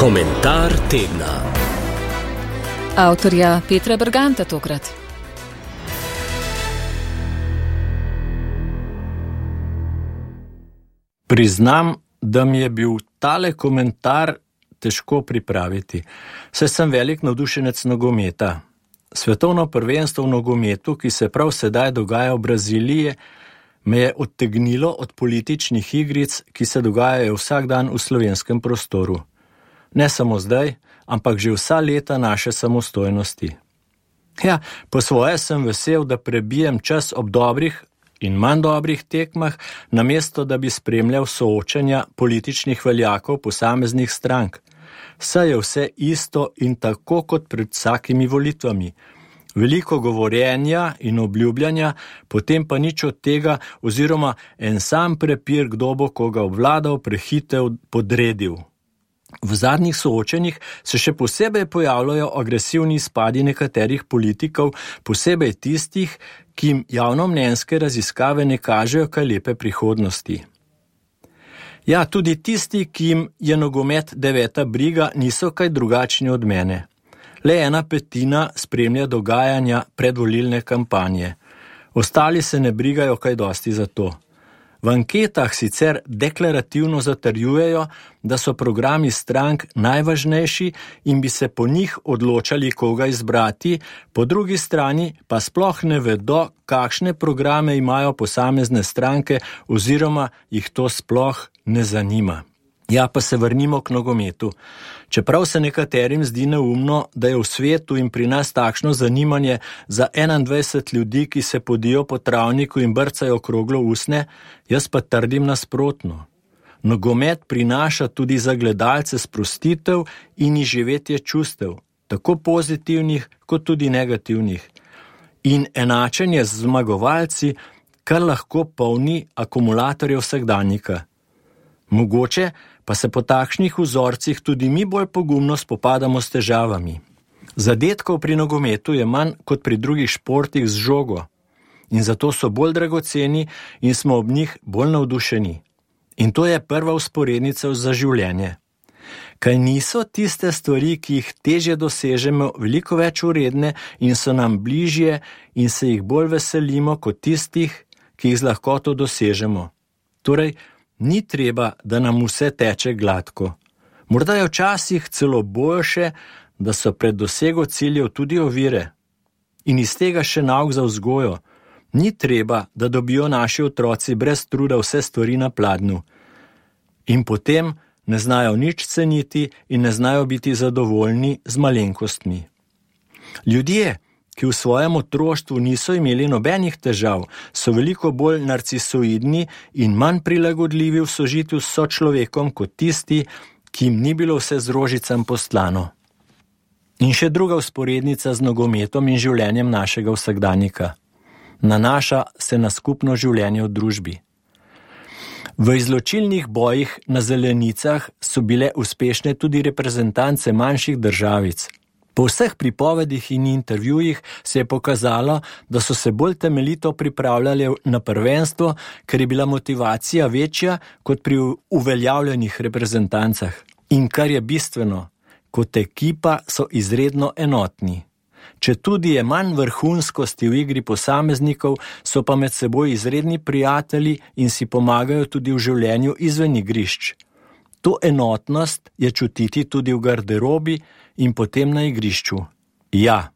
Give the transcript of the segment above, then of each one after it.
Komentar tedna. Avtorja Petra Berganta tokrat. Priznam, da mi je bil tale komentar težko pripraviti, saj sem velik navdušenec nogometa. Svetovno prvenstvo v nogometu, ki se prav sedaj dogaja v Braziliji, me je odtegnilo od političnih igric, ki se dogajajo vsak dan v slovenskem prostoru. Ne samo zdaj, ampak že vsa leta naše samostojnosti. Ja, po svoje sem vesel, da prebijem čas ob dobrih in manj dobrih tekmah, namesto da bi spremljal soočanja političnih veljakov posameznih strank. Saj je vse isto in tako kot pred vsakimi volitvami. Veliko govorjenja in obljubljanja, potem pa nič od tega oziroma en sam prepir, kdo bo koga obvladal, prehitev, podredil. V zadnjih soočenjih se še posebej pojavljajo agresivni izpadi nekaterih politikov, posebej tistih, ki jim javnomnenjske raziskave ne kažejo kaj lepe prihodnosti. Ja, tudi tisti, ki jim je nogomet deveta briga, niso kaj drugačni od mene. Le 1/5 spremlja dogajanja predvolilne kampanje. Ostali se ne brigajo kaj dosti za to. V anketah sicer deklarativno zatrjujejo, da so programi strank najvažnejši in bi se po njih odločali, koga izbrati, po drugi strani pa sploh ne vedo, kakšne programe imajo posamezne stranke oziroma jih to sploh ne zanima. Ja, pa se vrnimo k nogometu. Čeprav se nekaterim zdi neumno, da je v svetu in pri nas takšno zanimanje za 21 ljudi, ki se podijo po travniku in brcajo okroglo usne, jaz pa trdim nasprotno. Nogomet prinaša tudi za gledalce sprostitev in izživetje čustev, tako pozitivnih kot tudi negativnih. In enačenje z zmagovalci, kar lahko polni akumulatorje vsakdanjika. Mogoče pa se po takšnih vzorcih tudi mi bolj pogumno spopadamo s težavami. Zadetkov pri nogometu je manj kot pri drugih športih z žogo in zato so bolj dragoceni in smo ob njih bolj navdušeni. In to je prva vzporednica za življenje. Kaj niso tiste stvari, ki jih težje dosežemo, veliko več vredne in so nam bližje in se jih bolj veselimo kot tistih, ki jih z lahkoto dosežemo. Torej, ni treba, da nam vse teče gladko. Morda je včasih celo boljše, da so pred dosego ciljev tudi ovire. In iz tega še nauk za vzgojo. Ni treba, da dobijo naši otroci brez truda vse stvari na pladnju. In potem ne znajo nič ceniti in ne znajo biti zadovoljni z malenkostmi. Ljudje, ki v svojem otroštvu niso imeli nobenih težav, so veliko bolj narcisoidni in manj prilagodljivi v sožitju s sočlovekom kot tisti, ki jim ni bilo vse z rožicam postlano. In še druga vzporednica z nogometom in življenjem našega vsakdanjika. Nanaša se na skupno življenje v družbi. V izločilnih bojih na zelenicah so bile uspešne tudi reprezentance manjših državic. Po vseh pripovedih in intervjujih se je pokazalo, da so se bolj temeljito pripravljali na prvenstvo, ker je bila motivacija večja kot pri uveljavljenih reprezentancah. In kar je bistveno, kot ekipa so izredno enotni. Četudi je manj vrhunskosti v igri posameznikov, so pa med seboj izredni prijatelji in si pomagajo tudi v življenju izven igrišč. To enotnost je čutiti tudi v garderobi in potem na igrišču. Ja,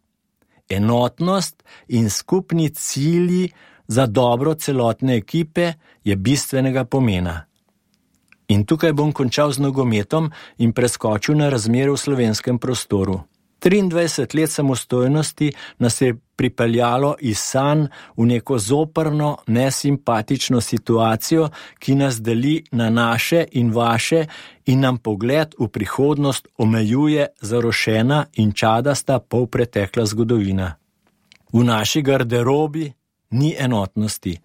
enotnost in skupni cilji za dobro celotne ekipe je bistvenega pomena. In tukaj bom končal z nogometom in preskočil na razmere v slovenskem prostoru. 23 let samostojnosti nas je pripeljalo iz sanj v neko zoprno, nesimpatično situacijo, ki nas deli na naše in vaše in nam pogled v prihodnost omejuje zarošena in čadasta polpretekla zgodovina. V naši garderobi ni enotnosti.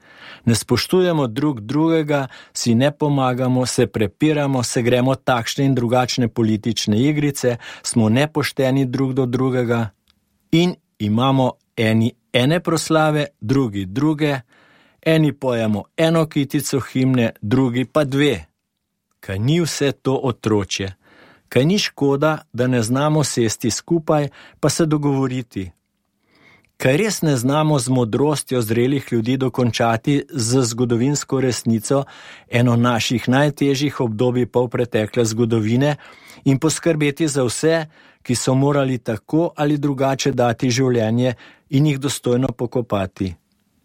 Ne spoštujemo drug drugega, si ne pomagamo, se prepiramo, se gremo takšne in drugačne politične igrice, smo nepošteni drug do drugega in imamo eni ene proslave, drugi druge, eni pojemo eno kitico himne, drugi pa 2. Kaj ni vse to otročje? Kaj ni škoda, da ne znamo sesti skupaj, pa se dogovoriti? Kaj res ne znamo z modrostjo zrelih ljudi dokončati z zgodovinsko resnico eno naših najtežjih obdobij polpretekle zgodovine in poskrbeti za vse, ki so morali tako ali drugače dati življenje in jih dostojno pokopati?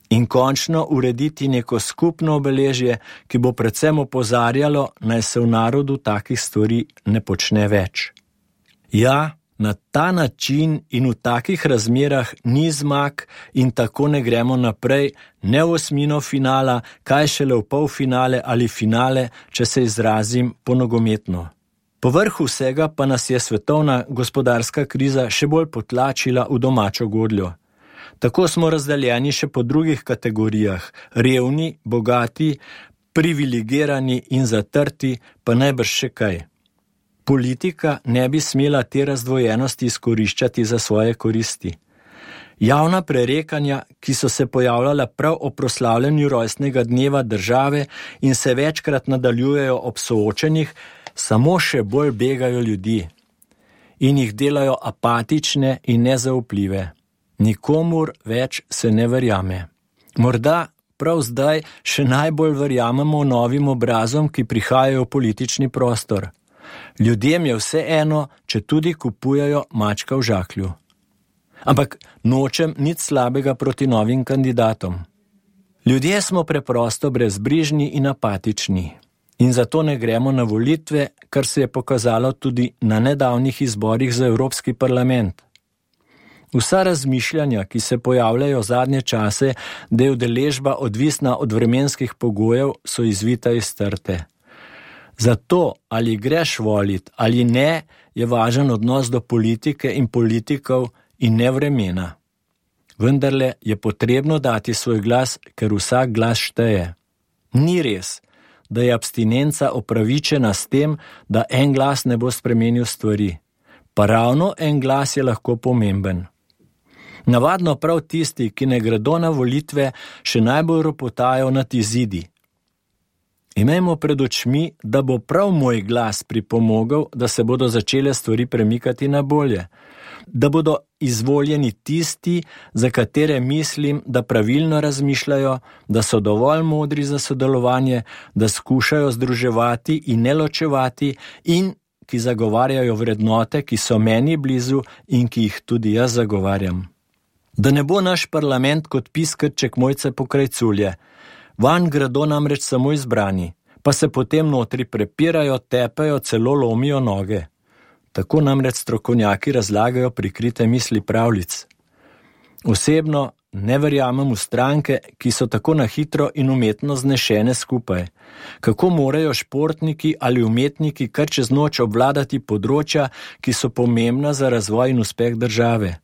In končno urediti neko skupno obeležje, ki bo predvsem opozarjalo, naj se v narodu takih stvari ne počne več. Ja, na ta način in v takih razmerah ni zmag in tako ne gremo naprej, ne v osmino finala, kaj šele v polfinale ali finale, če se izrazim ponogometno. Povrhu vsega pa nas je svetovna gospodarska kriza še bolj potlačila v domačo godljo. Tako smo razdeljeni še po drugih kategorijah, revni, bogati, privilegirani in zatrti, pa najbrž še kaj. Politika ne bi smela te razdvojenosti izkoriščati za svoje koristi. Javna prerekanja, ki so se pojavljala prav o proslavljanju rojstnega dneva države in se večkrat nadaljujejo ob soočenjih, samo še bolj begajo ljudi in jih delajo apatične in nezaupljive. Nikomur več se ne verjame. Morda prav zdaj še najbolj verjamemo novim obrazom, ki prihajajo v politični prostor. Ljudem je vseeno, če tudi kupujajo mačka v žaklju. Ampak nočem nič slabega proti novim kandidatom. Ljudje smo preprosto brezbrižni in apatični. In zato ne gremo na volitve, kar se je pokazalo tudi na nedavnih izborih za Evropski parlament. Vsa razmišljanja, ki se pojavljajo zadnje čase, da je udeležba odvisna od vremenskih pogojev, so izvita iz trte. Zato, ali greš volit ali ne, je važen odnos do politike in politikov in ne vremena. Vendarle je potrebno dati svoj glas, ker vsak glas šteje. Ni res, da je abstinenca opravičena s tem, da en glas ne bo spremenil stvari. Pa ravno en glas je lahko pomemben. Navadno prav tisti, ki ne gredo na volitve, še najbolj ropotajo nad izidi. Imejmo pred očmi, da bo prav moj glas pripomogel, da se bodo začele stvari premikati na bolje. Da bodo izvoljeni tisti, za katere mislim, da pravilno razmišljajo, da so dovolj modri za sodelovanje, da skušajo združevati in ne ločevati in ki zagovarjajo vrednote, ki so meni blizu in ki jih tudi jaz zagovarjam. Da ne bo naš parlament kot piskrček Mojce Pokrajculje. Vanj gredo namreč samo izbrani, pa se potem notri prepirajo, tepejo, celo lomijo noge. Tako namreč strokovnjaki razlagajo prikrite misli pravljic. Osebno ne verjamem v stranke, ki so tako na hitro in umetno znešene skupaj. Kako morajo športniki ali umetniki kar čez noč obvladati področja, ki so pomembna za razvoj in uspeh države.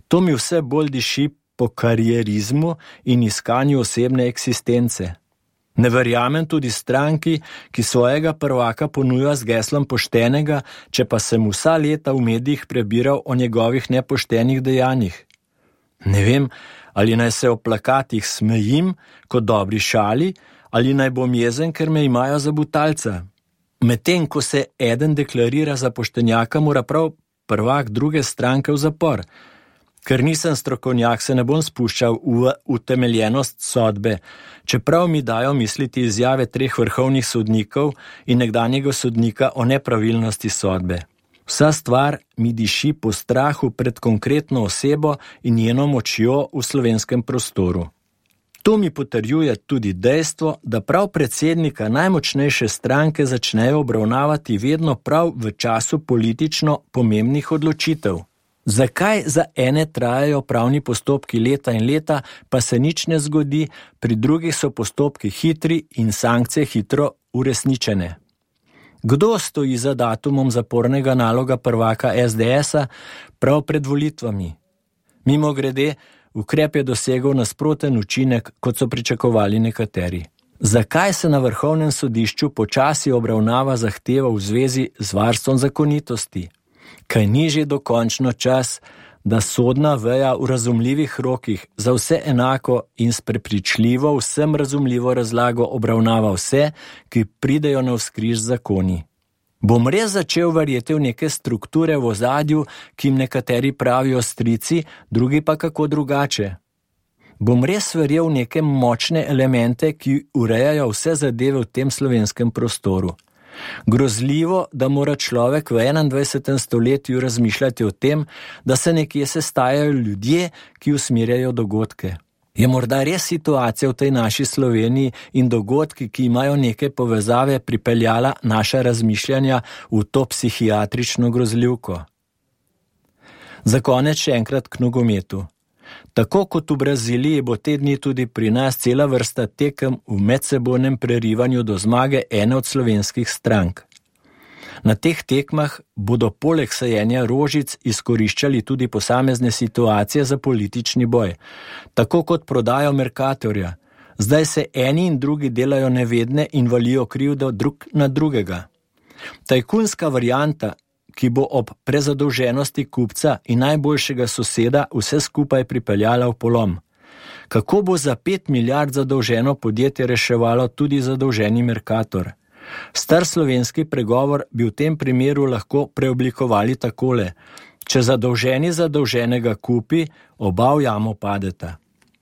To mi vse bolj diši po karierizmu in iskanju osebne eksistence. Ne verjamem tudi stranki, ki svojega prvaka ponuja z geslom poštenega, če pa sem vsa leta v medijih prebiral o njegovih nepoštenih dejanjih. Ne vem, ali naj se o plakatih smejim kot dobri šali, ali naj bom jezen, ker me imajo za butalca. Medtem, ko se eden deklarira za poštenjaka, mora prav prvak druge stranke v zapor. Ker nisem strokovnjak, se ne bom spuščal v utemeljenost sodbe, čeprav mi dajo misliti izjave 3 vrhovnih sodnikov in nekdanjega sodnika o nepravilnosti sodbe. Vsa stvar mi diši po strahu pred konkretno osebo in njeno močjo v slovenskem prostoru. To mi potrjuje tudi dejstvo, da prav predsednika najmočnejše stranke začnejo obravnavati vedno prav v času politično pomembnih odločitev. Zakaj za ene trajajo pravni postopki leta in leta, pa se nič ne zgodi, pri drugih so postopki hitri in sankcije hitro uresničene? Kdo stoji za datumom zapornega naloga prvaka SDS-a prav pred volitvami? Mimogrede, ukrep je dosegel nasproten učinek, kot so pričakovali nekateri. Zakaj se na Vrhovnem sodišču počasi obravnava zahteva v zvezi z varstvom zakonitosti? Kaj ni že dokončno čas, da sodna veja v razumljivih rokih za vse enako in s prepričljivo, vsem razumljivo razlago obravnava vse, ki pridejo navzkriž zakoni? Bom res začel verjeti v neke strukture v ozadju, ki jim nekateri pravijo strici, drugi pa kako drugače? Bom res verjel v neke močne elemente, ki urejajo vse zadeve v tem slovenskem prostoru? Grozljivo, da mora človek v 21. stoletju razmišljati o tem, da se nekje sestajajo ljudje, ki usmerjajo dogodke. Je morda res situacija v tej naši Sloveniji in dogodki, ki imajo neke povezave, pripeljala naša razmišljanja v to psihiatrično grozljivko? Za konec še enkrat k nogometu. Tako kot v Braziliji bo te dni tudi pri nas cela vrsta tekem v medsebojnem prerivanju do zmage ene od slovenskih strank. Na teh tekmah bodo poleg sajenja rožic izkoriščali tudi posamezne situacije za politični boj, tako kot prodajo Mercatorja. Zdaj se eni in drugi delajo nevedne in valijo krivdo drug na drugega. Tajkunska varianta, ki bo ob prezadolženosti kupca in najboljšega soseda vse skupaj pripeljala v polom. Kako bo za 5 milijard zadolženo podjetje reševalo tudi zadolženi Mercator? Star slovenski pregovor bi v tem primeru lahko preoblikovali takole: če zadolženi zadolženega kupi, oba v jamo padeta.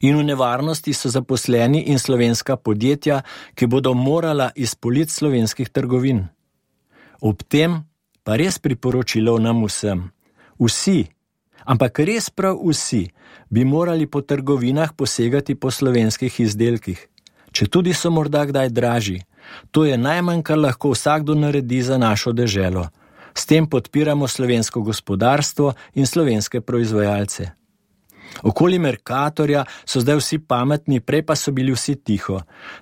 In v nevarnosti so zaposleni in slovenska podjetja, ki bodo morala iz polic slovenskih trgovin. Ob tem pa res priporočilo nam vsem. Vsi, ampak res prav vsi, bi morali po trgovinah posegati po slovenskih izdelkih, četudi so morda kdaj dražji. To je najmanj, kar lahko vsakdo naredi za našo deželo. S tem podpiramo slovensko gospodarstvo in slovenske proizvajalce. Okoli Mercatorja so zdaj vsi pametni, prej pa so bili vsi tiho.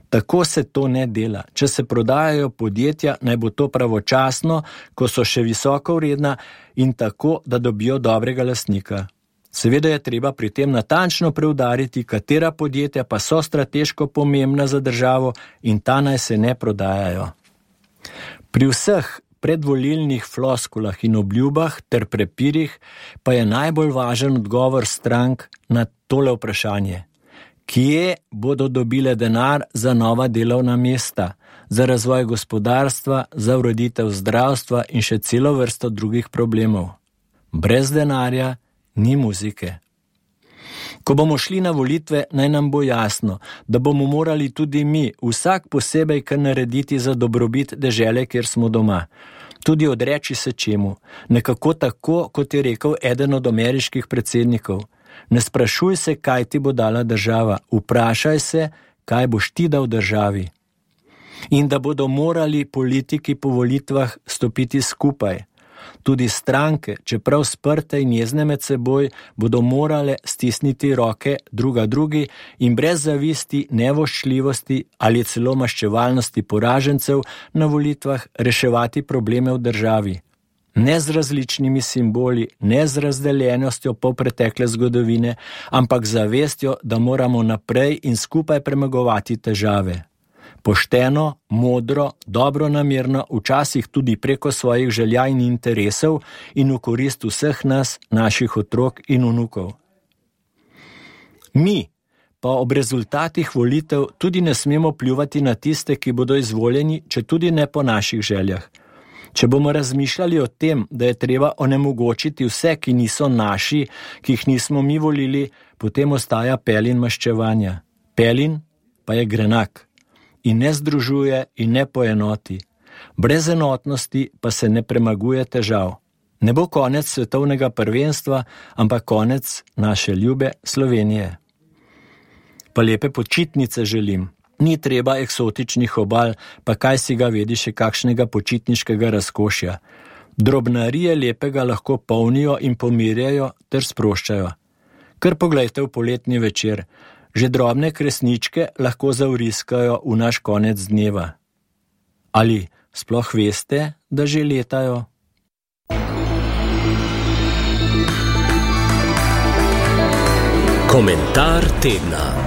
Tako se to ne dela. Če se prodajajo podjetja, naj bo to pravočasno, ko so še visoko vredna in tako, da dobijo dobrega lastnika. Seveda je treba pri tem natančno preudariti, katera podjetja pa so strateško pomembna za državo in ta naj se ne prodajajo. Pri vseh predvolilnih floskulah in obljubah ter prepirih pa je najbolj važen odgovor strank na tole vprašanje. Kje bodo dobile denar za nova delovna mesta, za razvoj gospodarstva, za ureditev zdravstva in še celo vrsto drugih problemov? Brez denarja ni muzike. Ko bomo šli na volitve, naj nam bo jasno, da bomo morali tudi mi vsak posebej kar narediti za dobrobit dežele, kjer smo doma. Tudi odreči se čemu, nekako tako, kot je rekel eden od ameriških predsednikov. Ne sprašuj se, kaj ti bo dala država, vprašaj se, kaj boš ti dal državi. In da bodo morali politiki po volitvah stopiti skupaj. Tudi stranke, čeprav sprte in jezne med seboj, bodo morale stisniti roke druga drugi in brez zavisti, nevoščljivosti ali celo maščevalnosti poražencev na volitvah reševati probleme v državi. Ne z različnimi simboli, ne z razdeljenostjo polpretekle zgodovine, ampak z zavestjo, da moramo naprej in skupaj premagovati težave. Pošteno, modro, dobronamerno, včasih tudi preko svojih želja in interesov in v korist vseh nas, naših otrok in vnukov. Mi pa ob rezultatih volitev tudi ne smemo pljuvati na tiste, ki bodo izvoljeni, če tudi ne po naših željah. Če bomo razmišljali o tem, da je treba onemogočiti vse, ki niso naši, ki jih nismo mi volili, potem ostaja pelin maščevanja. Pelin pa je grenak. In ne združuje in ne poenoti. Brez enotnosti pa se ne premaguje težav. Ne bo konec svetovnega prvenstva, ampak konec naše ljube Slovenije. Pa lepe počitnice želim. Ni treba eksotičnih obal, pa kaj si ga vedi še kakšnega počitniškega razkošja. Drobnarije lepega lahko polnijo in pomirjajo ter sproščajo. Kar poglejte v poletni večer. Že drobne kresničke lahko zavriskajo v naš konec dneva. Ali sploh veste, da že letajo? Komentar tedna.